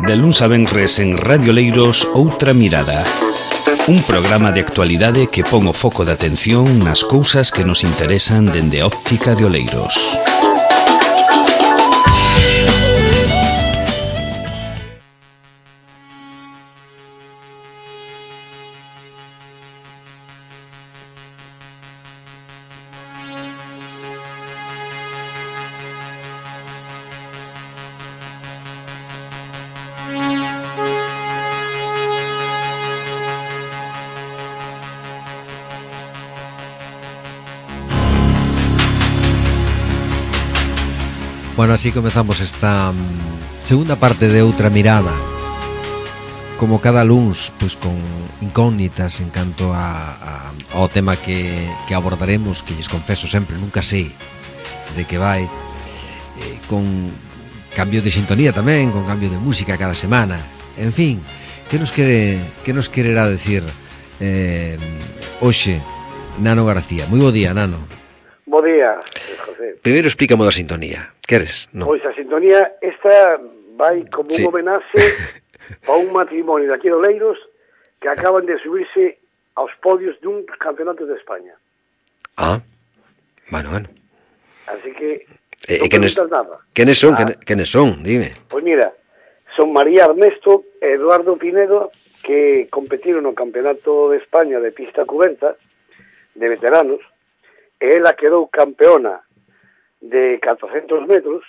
De luns a venres en Radio Leiros, Outra Mirada. Un programa de actualidade que pon o foco de atención nas cousas que nos interesan dende a óptica de Oleiros. Bueno, así comezamos esta segunda parte de Outra Mirada. Como cada luns, pois con incógnitas en canto ao tema que abordaremos, que lles confeso sempre, nunca sei de que vai, con cambio de sintonía tamén, con cambio de música cada semana. En fin, que nos quererá decir hoxe Nano García? Moi bo día, Nano. Bo día, José. Primeiro explícame da sintonía. Queres? No. Pois a sintonía esta vai como un homenaxe a un matrimonio de aquí de Oleiros que acaban de subirse aos podios dun campeonato de España. Ah, bueno. Así que non preguntas nada. Quenes son? Dime. Pois mira, son María Ernesto e Eduardo Pinedo, que competiron no campeonato de España de pista coberta de veteranos, e ela quedou campeona de 400 metros,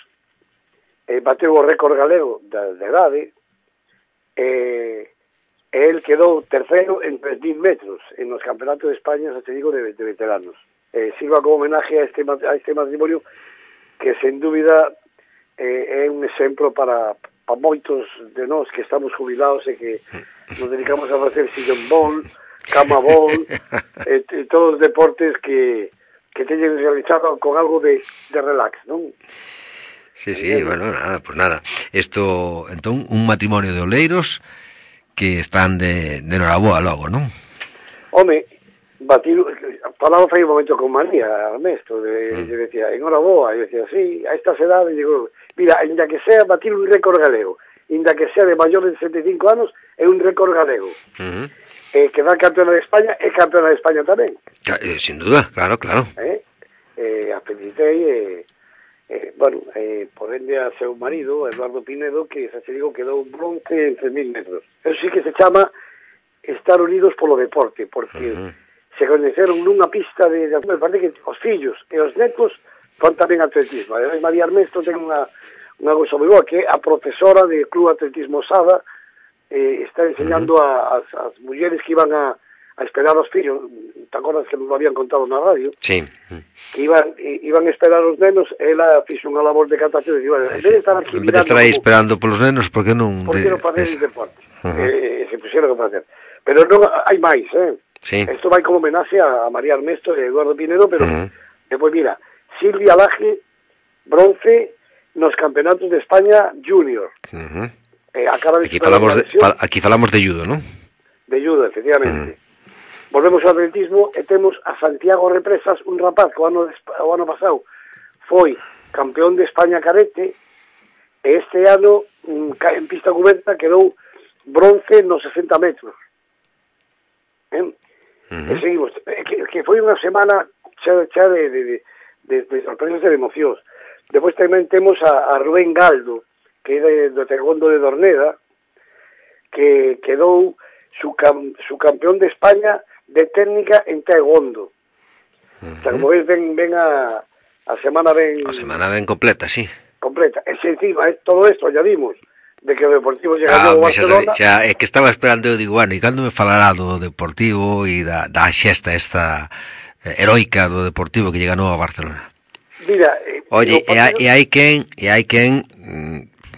bateu o récord galego de idade, e el quedou terceiro en 3.000 metros en os campeonatos de España, xa te digo, de veteranos. Sirva como homenaje a este matrimonio que, sen dúbida, é un exemplo para moitos de nós que estamos jubilados e que nos dedicamos a facer sillón ball, cama ball, e todos os deportes que teñen realizado con algo de relax, non? Sí, bueno, nada. Isto, entón, un matrimonio de oleiros que están de noraboa logo, non? Home, falaba fai un momento con María Ernesto, decía, enhoraboa, e decía, sí, a estas edades, digo, mira, ainda que sea batir un récord galego, ainda que sea de maior de 75 anos, é un récord galego. Que va campeona de España, é campeona de España tamén. Sin duda, claro. A felicitei, por ende a seu marido, Eduardo Pinedo, que, xa se digo, quedou bronce en 3.000 metros. Eso sí que se chama estar unidos polo deporte, porque se coñeceron nunha pista de me parece que os fillos e os netos fan tamén atletismo. Ademais, María Ernesto ten unha cousa moi boa, que é a profesora de Club Atletismo Sada, está enseñando as mulleres que iban a esperar os fillos, te acordas que nos lo habían contado na radio? Sí. Que iban a esperar os nenos, ela fixo unha labor de catación, en vez de estar aquí mirando... En vez de estar aí esperando polos nenos, por que non... Por que non facer deporte? Se puxeron a facer. Pero non hai máis, Sí. Isto vai como homenaxe a María Ernesto e Eduardo Pinedo, pero depois, mira, Silvia Laje, bronce nos campeonatos de España junior. Acaba de aquí falamos de judo, non? De judo, efectivamente. Volvemos ao atletismo e temos a Santiago Represas, un rapaz que o ano pasado foi campeón de España carete, e este ano en pista coberta quedou bronce nos 60 metros. E seguimos, que foi unha semana xa de sorpresas e de emocións. Depois tamén temos a Rubén Galdo, que é do Taekwondo de Dorneda, que quedou su campeón de España de técnica en Taekwondo. O sea, como veis, ven a semana ben... A semana ben completa, sí. Completa. E se encima, todo isto añadimos de que o Deportivo llega ao Barcelona... Xa, é que estaba esperando, eu digo, bueno, e cando me falará do Deportivo e da xesta esta heroica do Deportivo que ganou a Barcelona? Mira... Oye, e hai quen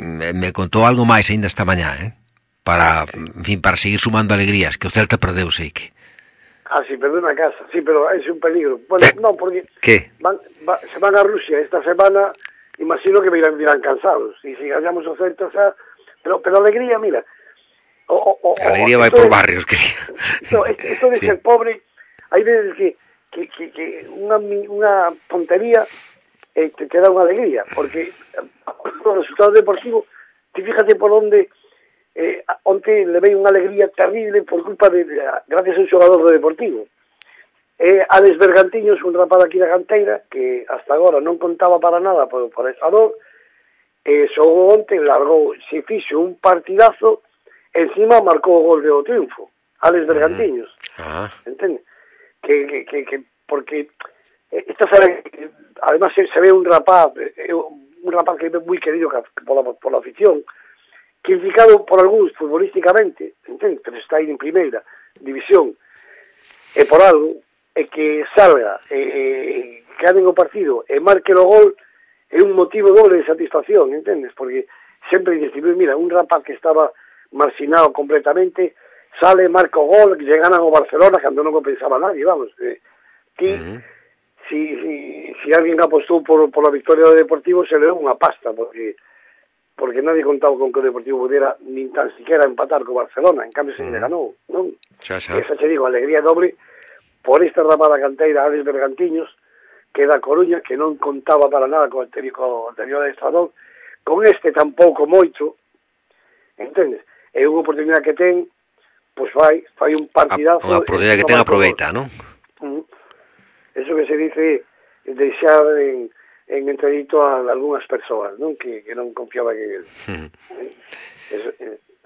me contou algo máis ainda esta mañá, para seguir sumando alegrías, que o Celta perdeu, sei que... sí, perdeu na casa, sí, pero é un peligro. Bueno, non, porque se van a Rusia esta semana, imagino que virán cansados, e se ganhamos o Celta, pero alegría, mira... alegría vai por barrios, quería. Esto de ser pobre, hai veces que unha tontería te da unha alegría, porque o resultado deportivo, ti fíjate por onde Onte levei unha alegría terrible por culpa gracias a un xogador do Deportivo. Alex Bergantiños, un rapaz aquí da canteira, que hasta agora non contaba para nada por esa dor, xogou onte, largou, se fixo un partidazo, encima marcou o gol de o triunfo, Alex Bergantiños. Entende? Que porque esta sabe, además se ve un rapaz que é moi querido pola afición, criticado por algúns futbolísticamente, entende? Pero está aí en primeira división, e por algo, e que salga, que ganen o partido e marque o gol, é un motivo doble de satisfacción, entendes? Porque sempre dices, mira, un rapaz que estaba marginado completamente, sale, marca o gol, que lle ganan o Barcelona, cando non o pensaba nadie, vamos. Si alguén apostou por la victoria do Deportivo, se leu unha pasta, porque nadie contaba con que o Deportivo pudiera nin tan siquiera empatar co Barcelona, en cambio se lle ganou, non? Esa che digo, alegría doble por esta ramada canteira Alex Bergantiños, que da Coruña, que non contaba para nada co anterior adestrador, con este tampouco moito, entendes? É unha oportunidade que ten, pois fai un partidazo. Unha oportunidade que ten aproveita, non? Eso que se dice deixar en entredito a algunhas persoas, non? Que non confiaban en él.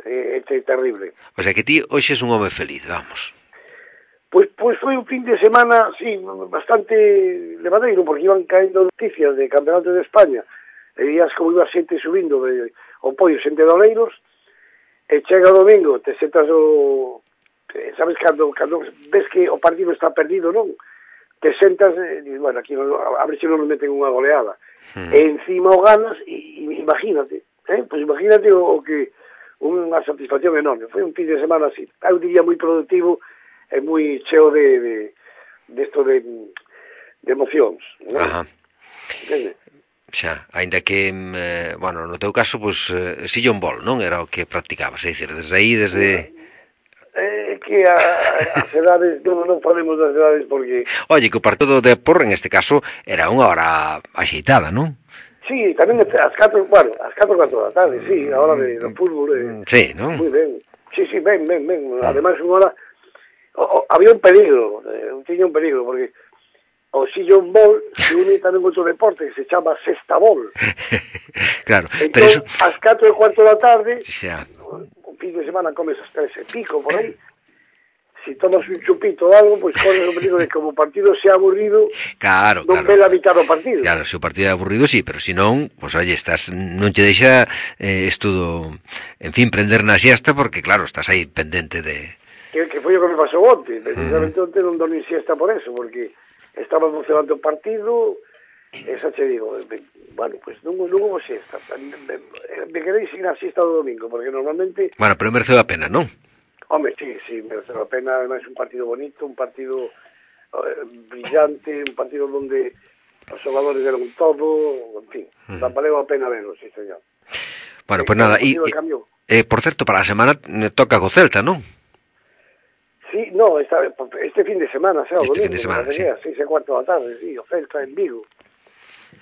É terrible. O sea que ti hoxe és un home feliz, vamos. Pois foi un fin de semana, sí, bastante levadeiro, porque iban caendo noticias de campeonato de España, e días como iba xente subindo o pollo, xente de Oleiros, e chega o domingo, te sentas sabes, cando ves que o partido está perdido, non? Te sentas, bueno, aquí a ver se non nos meten unha goleada, e encima o ganas, e imagínate, pois imagínate o que unha satisfacción enorme. Foi un fin de semana así, eu diría moi productivo, é moi cheo de emocións, non? Ajá. Xa, aínda que, bueno, no teu caso, pois, sillón bol, non? Era o que practicabas, é dicir, desde aí, desde... que as edades, non falemos das edades porque... Oye, que o partido de Porro, en este caso, era unha hora axeitada, non? Sí, tamén as 4 da tarde, sí, a hora do fútbol. Sí, non? Moi ben. Sí, ben. Ademais, unha hora... había un peligro, tiña un peligro, porque o sillón bol se une tamén outro deporte que se chama sexta bol. Claro, entón, pero eso... ás 4:15 da tarde, xa, un fin de semana comes as 3:00 por aí, si tomas un chupito ou algo, pois corres o peligro de que como o partido sea aburrido, claro, non ve la mitad do partido. Claro, se o partido é aburrido, sí, pero se non, pois, oye, estás, non te deixa estudo, en fin, prender na siesta, porque, claro, estás aí pendente de... Que foi o que me pasou onte, precisamente onte non dormí siesta por eso, porque estaba emocionante o partido, esa che digo, bueno, pues non hubo siesta, me quedei sin a siesta do domingo, porque normalmente... Bueno, pero mereceu a pena, non? Home, sí, mereceu a pena, además un partido bonito, un partido brillante, un partido donde os xogadores deron todo, en fin, valeu a pena verlo, sí, señor. Bueno, pues nada, e por certo, para a semana toca co Celta, non? Sí, no, este fin de semana, o domingo, fin de semana, sí. 6:15 da tarde, sí, o Celta en Vigo.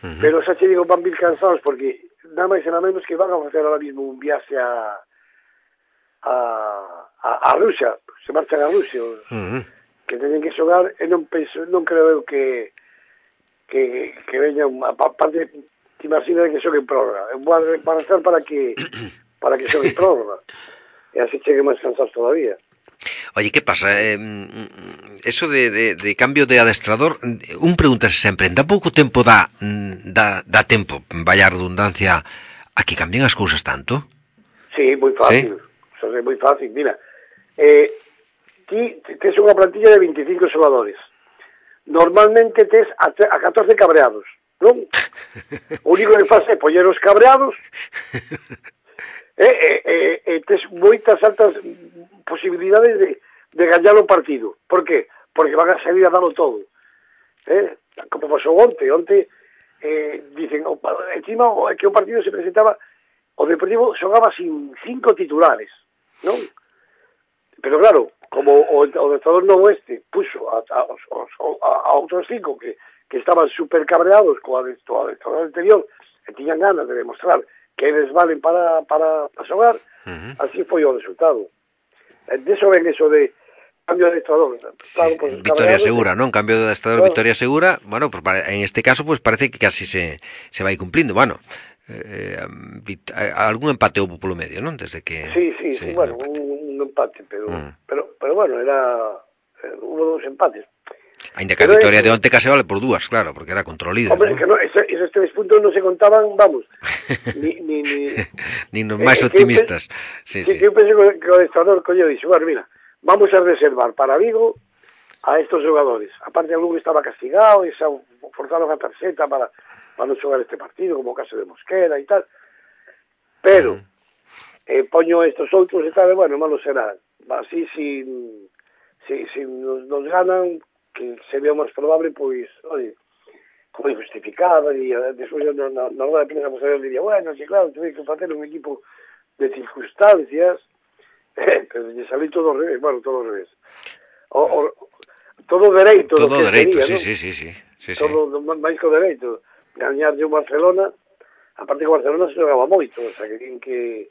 Pero xa che digo, van vir cansados porque nada máis e nada menos que van a facer ahora mismo un viaxe a Rusia, se marchan a Rusia, que teñen que xogar, e non creo que veña parte, te imaginas que xogue en prórroga, van a estar para que xogue en prórroga, e así chegue máis cansados todavía. Oye, que pasa? Eso de cambio de adestrador, un pregúntase sempre, en tan pouco tempo dá tempo, vaya redundancia, a que cambien as cousas tanto? Sí, moi fácil, ¿sí? É moi fácil, mira, ti tes unha plantilla de 25 xogadores, normalmente tes a 14 cabreados, non? O único que faz é poñer os cabreados e tes moitas altas posibilidades de gañar o partido. Por qué? Porque van a salir a darlo todo. Como pasou onte dicen, encima que o partido se presentaba, o Deportivo xogaba sin 5 titulares, non? Pero claro, como o adestrador novo puxo a outros 5 que estaban super cabreados co adestrador anterior, e tiñan ganas de demostrar que eles valen para xogar, así foi o resultado. Deso ven eso de cambio de adestrador. Claro, pues, Victoria segura, non? Cambio de adestrador, claro. Victoria segura. Bueno, pues en este caso pues parece que casi se vai cumplindo. Bueno, algún empate houve polo medio, non? Desde que Sí, bueno, un empate, pero bueno, hubo 2 empates. Ainda que a victoria de onte case vale por 2, claro, porque era contra o líder. Hombre, ¿no? Que no, esos 3 puntos non se contaban, vamos, ni nos máis optimistas. Que eu pensei que o adestrador colleu e dixo, bueno, mira, vamos a reservar para Vigo a estos xogadores. Aparte, algún estaba castigado e se forzaron a tarxeta para non xogar este partido, como o caso de Mosquera e tal. Pero, poño estos outros e tal, bueno, malo será. Así, si nos ganan, que sería máis probable, pois, oye, como justificaba, e despois na hora de prensa posterior diría, bueno, que claro, tuve que facer un equipo de circunstancias, pero lle salí todo ao revés, bueno, todo ao revés. Todo dereito. Todo dereito, sí. Todo máis que o dereito. Gañar de un Barcelona, aparte que o Barcelona se jogaba moito, o sea, que din que...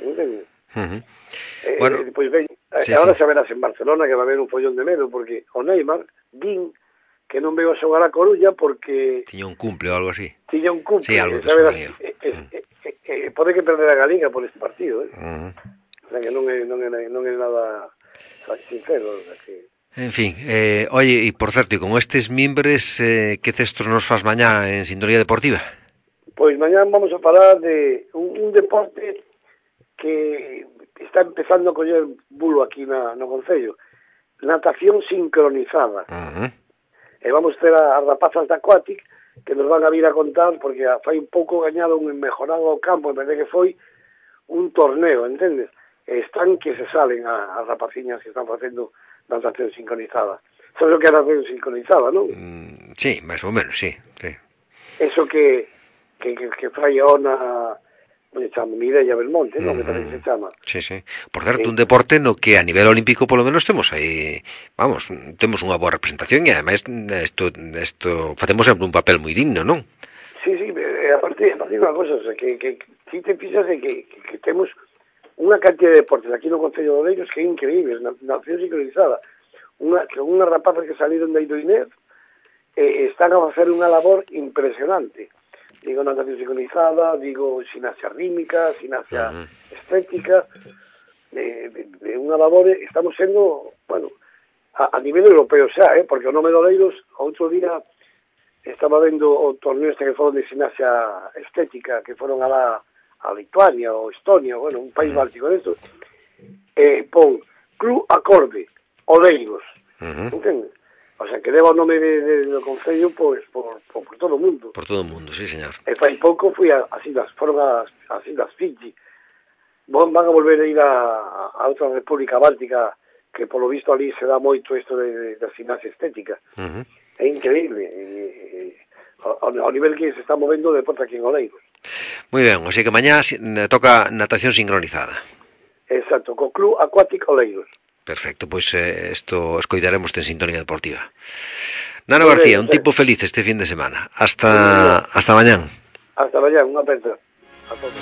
¿Entende? Bueno, pois ben, agora xa verás en Barcelona que va haber un follón de medo, porque o Neymar din que non veo a xogar a Coruña porque... Tiña un cumple ou algo así. Tiña un cumple. Sí, algo que verás, pode que perder a Galiga por este partido, O sea, que non é nada sincero, o sea, que... En fin, oye, e por certo, e con estes mimbres, que cestos nos faz mañá en Sintonía Deportiva? Pois mañá vamos a falar de un deporte que está empezando a coller bulo aquí no Concello, natación sincronizada. E vamos ter as rapazas da Aquatic que nos van a vir a contar, porque fai un pouco gañado un mejorado ao campo, en vez de que foi un torneo, entendes? Están que se salen as rapaciñas que están facendo natación sincronizada. Sabes o que é natación sincronizada, non? Sí, máis ou menos, sí. Eso que fai a Ona, se chama Mireia Belmonte, non? Me parece que se chama. Sí. Por certo, un deporte no que a nivel olímpico polo menos temos aí, vamos, temos unha boa representación e ademais isto facemos sempre un papel moi digno, non? Sí, aparte unha cosa, o sea, que si te fixas que temos unha cantidad de deportes aquí no Concello de Oleiros que é increíble, natación sincronizada. Unha rapazas que saliron de Idoinez están a facer unha labor impresionante. Digo natación sincronizada, digo gimnasia rítmica, gimnasia estética, unha labor, estamos sendo, bueno, a nivel europeo xa, porque o nome de Oleiros, outro día estaba vendo o torneo este que foron de gimnasia estética, que foron a Lituania ou Estonia, bueno, un país báltico de estos, pon Club Acorde, Oleiros, entende? O sea, que leva o nome do Concello pois, por todo o mundo. Por todo o mundo, sí, señor. E fai pouco fui foron as Islas Fiji. Van a volver a ir a outra república báltica que polo visto ali se dá moito isto da gimnasia estética. É increíble. Ao nivel que se está movendo o deporte aquí en Oleiros. Moi ben, así que mañá toca natación sincronizada. Exacto, co Club Aquatic Oleiros. Perfecto, pois isto escoitaremos en Sintonía Deportiva. Nano García, un tipo feliz este fin de semana. Hasta mañán. Hasta mañán, unha aperta. A todos.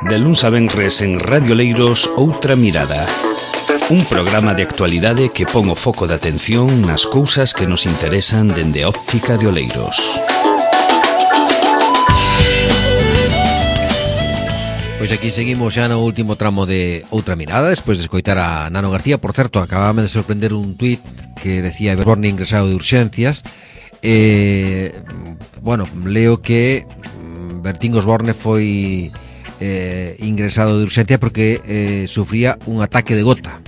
De luns a venres en Radio Leiros, Outra Mirada. Un programa de actualidade que pon o foco de atención nas cousas que nos interesan dende a óptica de Oleiros. Pois aquí seguimos xa no último tramo de Outra Mirada, despois de escoitar a Nano García. Por certo, acabábame de sorprender un tuit que decía Berborne ingresado de urxencias. Bueno, leo que Bertín Osborne foi ingresado de urxencia porque sufría un ataque de gota.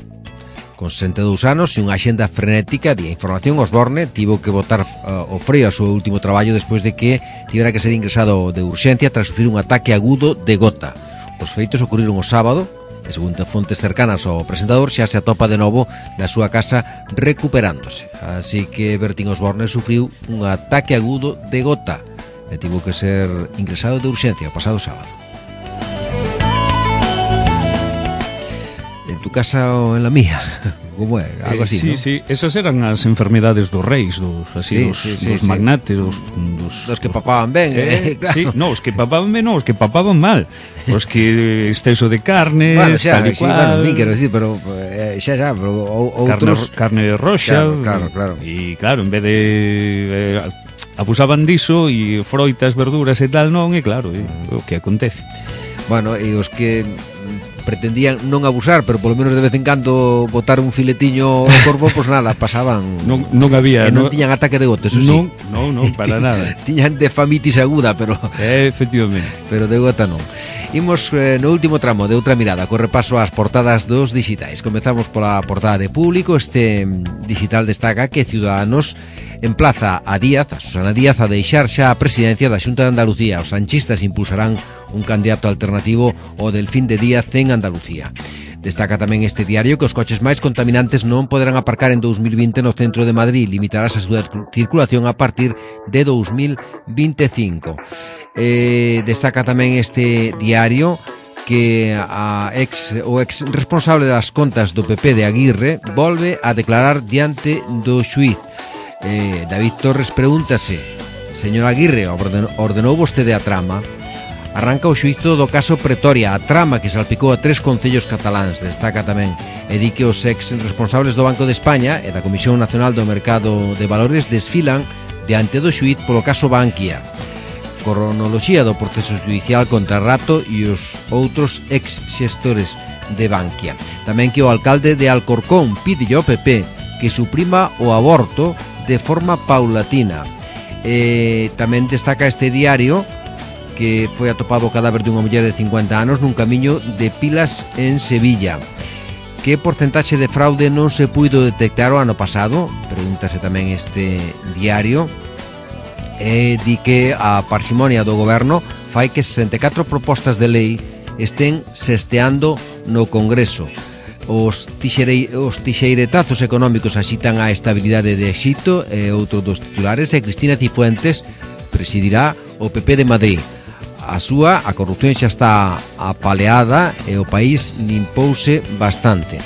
Con 62 anos e unha axenda frenética de información, Osborne tivo que botar o freo ao seu último traballo despois de que tivera que ser ingresado de urxencia tras sufrir un ataque agudo de gota. Os feitos ocurriron o sábado e, segundo fontes cercanas ao presentador, xa se atopa de novo na súa casa recuperándose. Así que Bertín Osborne sufriu un ataque agudo de gota e tivo que ser ingresado de urxencia o pasado sábado. casa en la mía. Como é? Algo así, sí, ¿no? Sí, esas eran as enfermedades dos reis, dos magnates, dos que papaban ben, claro. Sí, no, os que papaban ben, no, os que papaban mal. Os que exceso de carne, bueno, xa, tal e cual. Bueno, nin quero decir, pero xa, pero outros... Carne roxa. Claro. E claro, en vez de... abusaban diso e froitas, verduras e tal, non, e claro, o que acontece. Bueno, e os que pretendían non abusar, pero polo menos de vez en cando botar un filetiño ao corpo, pois nada, pasaban. Non había, non tiñan ataque de gota, eso sí. Non, para nada. Tiñan de famitis aguda, pero efectivamente. Pero de gota non. Imos no último tramo de outra mirada, co repaso ás portadas dos dixitais. Comezamos pola portada de Público. Este digital destaca que Ciudadanos emplaza a Susana Díaz, a deixar xa a presidencia da Xunta de Andalucía. Os sanchistas impulsarán un candidato alternativo ao Delfín de Díaz en Andalucía. Destaca tamén este diario que os coches máis contaminantes non poderán aparcar en 2020 no centro de Madrid. Limitarás a súa circulación a partir de 2025. Destaca tamén este diario que o ex responsable das contas do PP de Aguirre volve a declarar diante do xuíz. David Torres pregúntase: señor Aguirre, ordenou vostede a trama? Arranca o xuízo do caso Pretoria, a trama que salpicou a 3 concellos cataláns. Destaca tamén e di que os ex responsables do Banco de España e da Comisión Nacional do Mercado de Valores desfilan diante do xuíz polo caso Bankia. Cronoloxía do proceso judicial contra Rato e os outros ex xestores de Bankia. Tamén que o alcalde de Alcorcón pide ao PP que suprima o aborto de forma paulatina. Tamén destaca este diario que foi atopado o cadáver dunha muller de 50 anos nun camiño de Pilas en Sevilla. Que porcentaxe de fraude non se puido detectar o ano pasado? Pregúntase tamén este diario. Di que a parsimonia do goberno fai que 64 propostas de lei estén sesteando no Congreso. Os tixeiretazos económicos axitan a estabilidade de Exito e outro dos titulares, e Cristina Cifuentes presidirá o PP de Madrid. A corrupción xa está apaleada e o país limpouse bastante.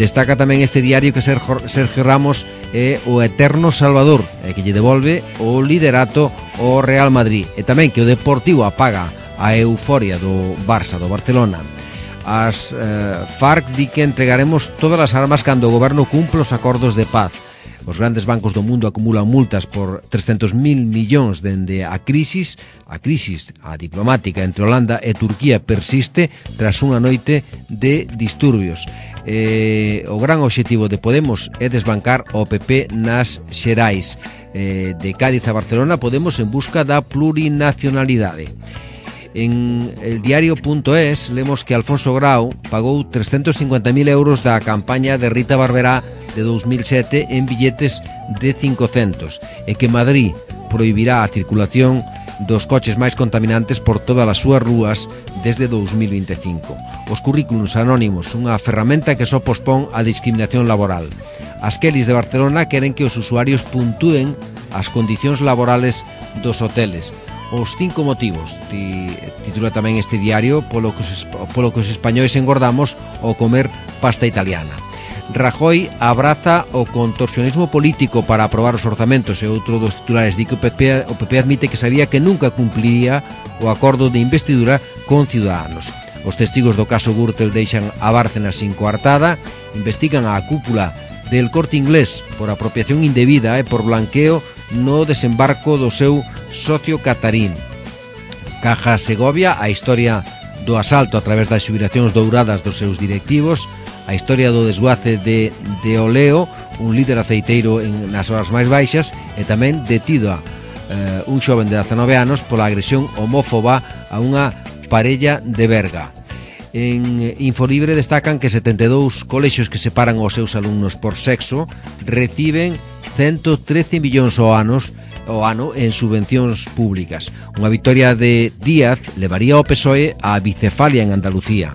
Destaca tamén este diario que Sergio Ramos é o eterno salvador e que lle devolve o liderato ao Real Madrid, e tamén que o Deportivo apaga a euforia do Barça, do Barcelona. As FARC di que entregaremos todas as armas cando o goberno cumpla os acordos de paz. Os grandes bancos do mundo acumulan multas por 300.000 millóns dende a crisis diplomática entre Holanda e Turquía persiste tras unha noite de disturbios. O gran obxectivo de Podemos é desbancar o PP nas Xerais. De Cádiz a Barcelona, Podemos en busca da plurinacionalidade. En el diario.es lemos que Alfonso Grau pagou 350.000 euros da campaña de Rita Barberá de 2007 en billetes de 500 e que Madrid prohibirá a circulación dos coches máis contaminantes por todas as súas rúas desde 2025. Os currículums anónimos, unha ferramenta que só pospón a discriminación laboral. As Kellys de Barcelona queren que os usuarios puntúen as condicións laborales dos hoteles. Os 5 motivos, titula tamén este diario, polo que os españois engordamos ao comer pasta italiana. Rajoy abraza o contorsionismo político para aprobar os orzamentos, e outro dos titulares di que o PP admite que sabía que nunca cumpliría o acordo de investidura con Ciudadanos. Os testigos do caso Gürtel deixan a Bárcenas sin coartada, investigan a cúpula del Corte Inglés por apropiación indebida e por blanqueo no desembarco do seu socio catarín. Caja Segovia, a historia do asalto a través das xubilacións douradas dos seus directivos, a historia do desguace de Oleo, un líder aceiteiro nas horas máis baixas, e tamén detido un xoven de 19 anos pola agresión homófoba a unha parella de Berga. En Infolibre destacan que 72 colexios que separan os seus alumnos por sexo reciben 113 millóns ao ano en subvencións públicas. Unha victoria de Díaz levaría ao PSOE á bicefalia en Andalucía.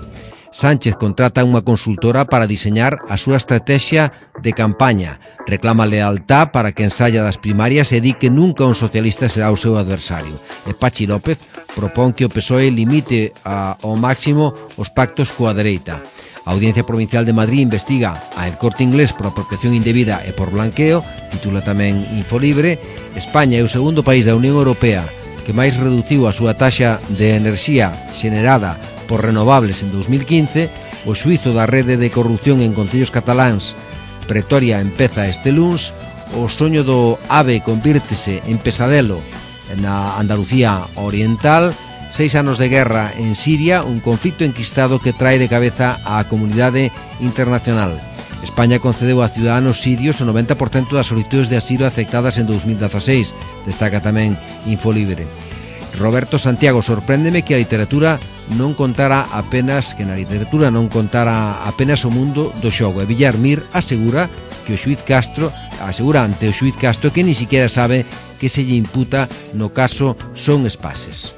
Sánchez contrata unha consultora para diseñar a súa estrategia de campaña. Reclama lealtad para que ensaya das primarias e di que nunca un socialista será o seu adversario. E Pachi López propón que o PSOE limite ao máximo os pactos coa dereita. A Audiencia Provincial de Madrid investiga a El Corte Inglés por apropiación indebida e por blanqueo, titula tamén Infolibre. España é o segundo país da Unión Europea que máis reduciu a súa taxa de enerxía xenerada por renovables en 2015. O xuizo da rede de corrupción en concellos cataláns Pretoria empeza este luns. O soño do AVE convírtese en pesadelo na Andalucía Oriental. 6 anos de guerra en Siria, un conflito enquistado que trae de cabeza á comunidade internacional. España concedeu a ciudadanos sirios o 90% das solicitudes de asilo aceptadas en 2016, destaca tamén Infolibre. Roberto Santiago, sorpréndeme que na literatura non contara apenas o mundo do xogo. E Villar Mir asegura ante o xuíz Castro que ni siquiera sabe que se lle imputa no caso Son Espases.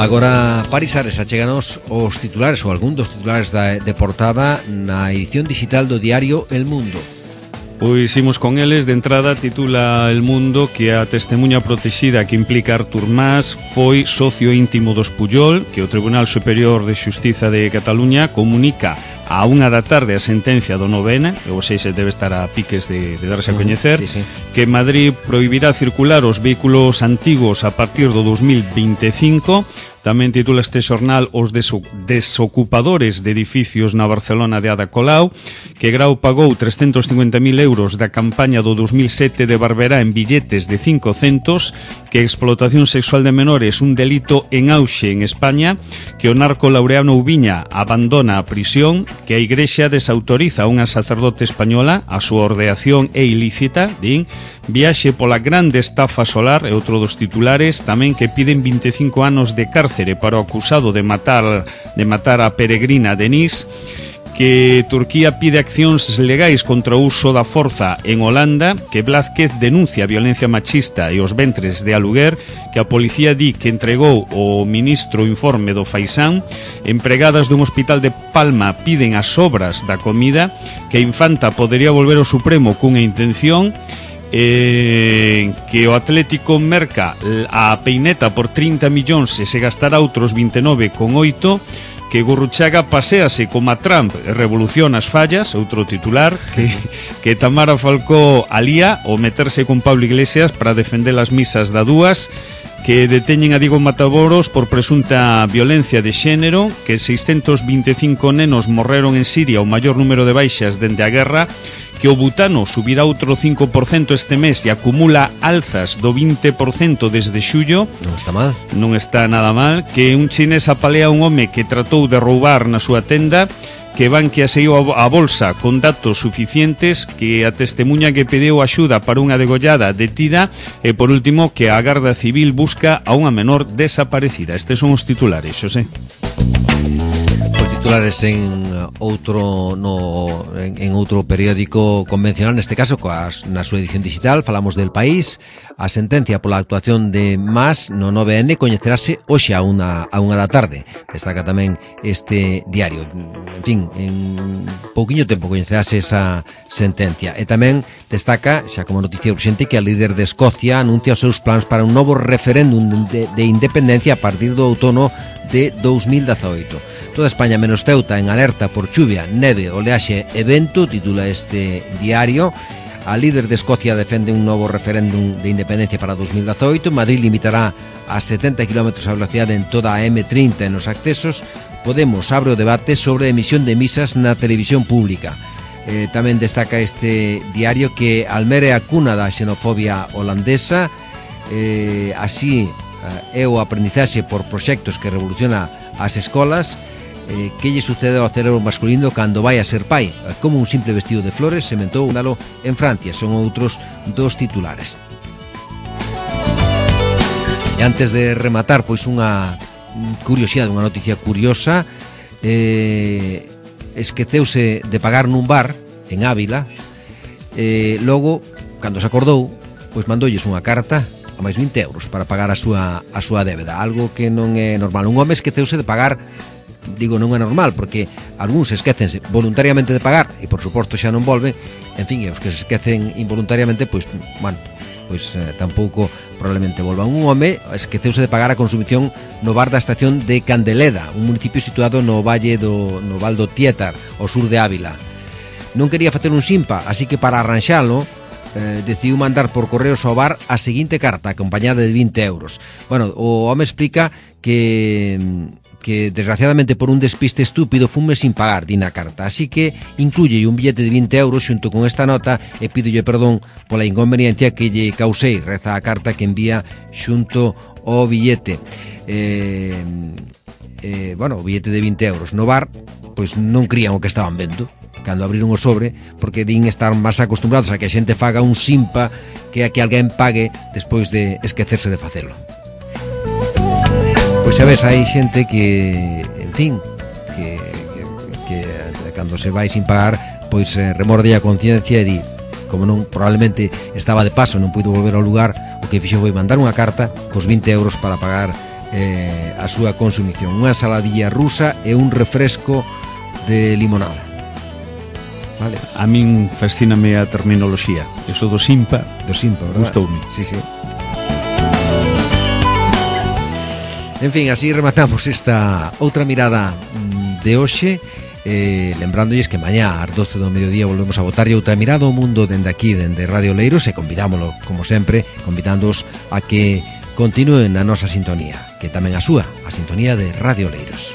Agora, Paris Ares, achéganos os titulares ou algún dos titulares de portada na edición digital do diario El Mundo. Pois imos con eles. De entrada titula El Mundo que a testemunha protexida que implica Artur Mas foi socio íntimo dos Pujol, que o Tribunal Superior de Xustiza de Cataluña comunica a 1 da tarde a sentencia do 9N, ou seja, debe estar a piques de darse a coñecer, sí. que Madrid prohibirá circular os vehículos antigos a partir do 2025. Tamén titula este xornal os desocupadores de edificios na Barcelona de Ada Colau, que Grau pagou 350.000 euros da campaña do 2007 de Barberá en billetes de 5 centos, que a explotación sexual de menores un delito en auxe en España, que o narco Laureano Ubiña abandona a prisión, que a Igrexa desautoriza a unha sacerdote española, a súa ordeación é ilícita, din, viaxe pola grande estafa solar, e outro dos titulares, tamén que piden 25 anos de cárcere para o acusado de matar a peregrina Denise, que Turquía pide accións legais contra o uso da forza en Holanda, que Blázquez denuncia a violencia machista e os ventres de aluguer, que a policía di que entregou o ministro informe do Faisán, empregadas dun hospital de Palma piden as obras da comida, que a Infanta podería volver ao Supremo cunha intención, que o Atlético merca a Peineta por 30 millóns e se gastará outros 29,8, que Gurruchaga paséase como a Trump e revoluciona as fallas, outro titular, que Tamara Falcó alía o meterse con Pablo Iglesias para defender as misas da Dúas, que deteñen a Diego Matamoros por presunta violencia de xénero, que 625 nenos morreron en Siria, o maior número de baixas dende a guerra, que o butano subirá outro 5% este mes e acumula alzas do 20% desde xullo. Non está mal. Non está nada mal. Que un chinés apalea a un home que tratou de roubar na súa tenda, que Bankia saiu a bolsa con datos suficientes, que a testemunha que pediu axuda para unha degollada detida, e por último que a Garda Civil busca a unha menor desaparecida. Estes son os titulares, Xosé. Titulares en outro periódico convencional, neste caso na súa edición digital. Falamos del País. A sentencia pola actuación de Mas no 9N coñecerase hoxe a unha da tarde, destaca tamén este diario. En fin, en pouquiño tempo coñecerase esa sentencia. E tamén destaca, xa como noticia urxente, que a líder de Escocia anuncia os seus plans para un novo referéndum de independencia a partir do outono de 2018. Toda España menos Ceuta en alerta por chuvia, neve, oleaxe e vento, titula este diario. A líder de Escocia defende un novo referéndum de independencia para 2018. Madrid limitará a 70 km a velocidade en toda a M30 nos accesos. Podemos abre o debate sobre a emisión de misas na televisión pública. Tamén destaca este diario que Almere é a cuna da xenofobia holandesa. Así é o aprendizaxe por proxectos que revoluciona as escolas. Que lle sucede ao cerebro masculino cando vai a ser pai? Como un simple vestido de flores sementou un dalo en Francia. Son outros dos titulares. E antes de rematar, pois unha curiosidade, unha noticia curiosa. Esqueceuse de pagar nun bar en Ávila, logo, cando se acordou, pois mandoulles unha carta a máis 20 euros para pagar a súa débeda, algo que non é normal. Un home esqueceuse de pagar, digo, non é normal, porque algúns esquécense voluntariamente de pagar e por suposto xa non volven, en fin, e os que se esquecen involuntariamente, pois, bueno, pois tampouco probablemente volvan. Un home esqueceuse de pagar a consumición no bar da estación de Candeleda, un municipio situado no Val do Tietar, ao sur de Ávila. Non quería facer un simpa, así que para arranxalo decidiu mandar por correos ao bar a seguinte carta acompañada de 20 euros. Bueno, o home explica que desgraciadamente por un despiste estúpido fume sin pagar, di na carta, así que incluye un billete de 20 euros xunto con esta nota e pídolle perdón pola inconveniencia que lle causei, reza a carta que envía xunto ao billete. Bueno, o billete de 20 euros no bar, pois non crían o que estaban vendo cando abriron o sobre, porque din estar máis acostumbrados a que a xente faga un simpa que a que alguén pague despois de esquecerse de facelo. Pois xa ves, hai xente que, en fin, que cando se vai sin pagar, pois remorde a conciencia e di, como non, probablemente estaba de paso, non puido volver ao lugar, o que fixo foi mandar unha carta cos 20 euros para pagar a súa consumición, unha ensaladilla rusa e un refresco de limonada. Vale. A min fascíname a terminoloxía. Eso do simpa, verdad? Gustoume. Sí, sí. En fin, así rematamos esta outra mirada de hoxe, lembrándoles que mañá ás 12 do mediodía volvemos a botar outra mirada ao mundo dende aquí, dende Radio Leiros, e convidámoslo, como sempre, convidándoos a que continúen na nosa sintonía, que tamén a súa, a sintonía de Radio Leiros.